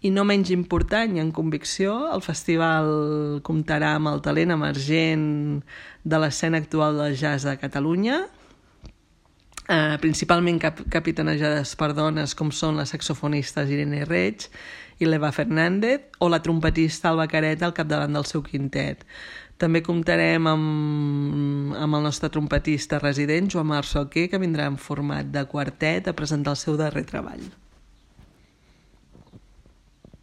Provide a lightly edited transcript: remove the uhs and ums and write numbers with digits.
I no menys important i en convicció, el festival comptarà amb el talent emergent de l'escena actual del jazz de Catalunya, principalment capitanejades per dones com són les saxofonistes Irene Reig i l'Eva Fernández o la trompetista Alba Careta al capdavant del seu quintet. També comptarem amb el nostre trompetista resident, Joan Marc Solquer, que vindrà en format de quartet a presentar el seu darrer treball.